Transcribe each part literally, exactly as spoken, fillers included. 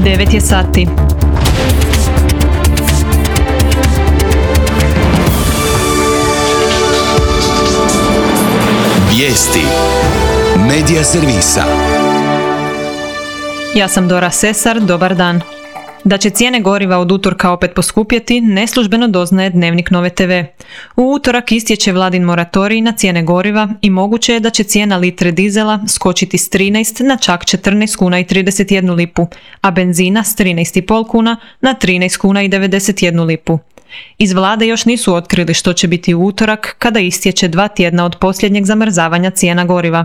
devet je sati. Vijesti Medija servisa. Ja sam Dora Sesar, dobar dan. Da će cijene goriva od utorka opet poskupjeti, neslužbeno doznaje Dnevnik Nove te ve. U utorak istječe vladin moratorij na cijene goriva i moguće je da će cijena litre dizela skočiti s trinaest na čak četrnaest kuna i trideset jednu lipu, a benzina s trinaest zarez pet kuna na trinaest kuna i devedeset jednu lipu. Iz vlade još nisu otkrili što će biti u utorak kada istječe dva tjedna od posljednjeg zamrzavanja cijena goriva.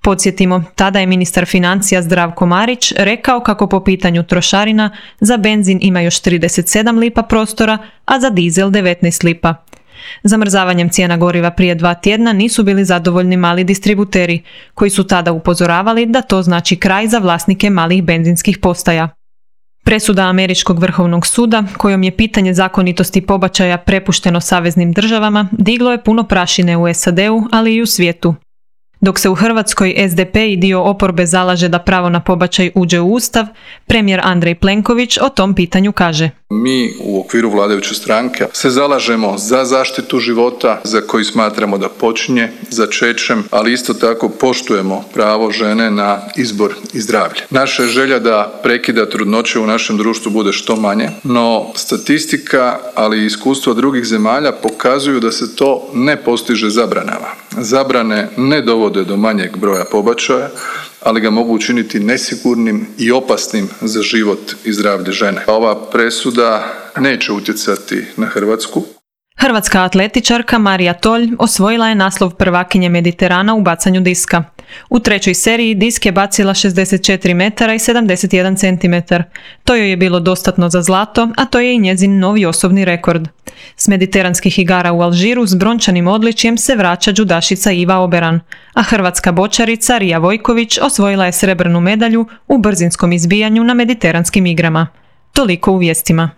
Podsjetimo, tada je ministar financija Zdravko Marić rekao kako po pitanju trošarina za benzin ima još trideset sedam lipa prostora, a za dizel devetnaest lipa. Zamrzavanjem cijena goriva prije dva tjedna nisu bili zadovoljni mali distributeri, koji su tada upozoravali da to znači kraj za vlasnike malih benzinskih postaja. Presuda Američkog vrhovnog suda, kojom je pitanje zakonitosti pobačaja prepušteno saveznim državama, diglo je puno prašine u es a de u, ali i u svijetu. Dok se u Hrvatskoj es de pe i dio oporbe zalaže da pravo na pobačaj uđe u Ustav, premijer Andrej Plenković o tom pitanju kaže: Mi u okviru vladajuće stranke se zalažemo za zaštitu života za koji smatramo da počinje začećem, ali isto tako poštujemo pravo žene na izbor i zdravlje. Naša je želja da prekida trudnoće u našem društvu bude što manje, no statistika, ali i iskustva drugih zemalja pokazuju da se to ne postiže zabranama. Zabrane ne dovode do manjeg broja pobačaja, ali ga mogu učiniti nesigurnim i opasnim za život i zdravlje žene. Ova presuda neće utjecati na Hrvatsku. Hrvatska atletičarka Marija Tolj osvojila je naslov prvakinje Mediterana u bacanju diska. U trećoj seriji disk je bacila šezdeset četiri metara i sedamdeset jedan centimetar. To joj je bilo dostatno za zlato, a to je i njezin novi osobni rekord. S mediteranskih igara u Alžiru s brončanim odličjem se vraća džudašica Iva Oberan, a hrvatska bočarica Rija Vojković osvojila je srebrnu medalju u brzinskom izbijanju na mediteranskim igrama. Toliko u vijestima.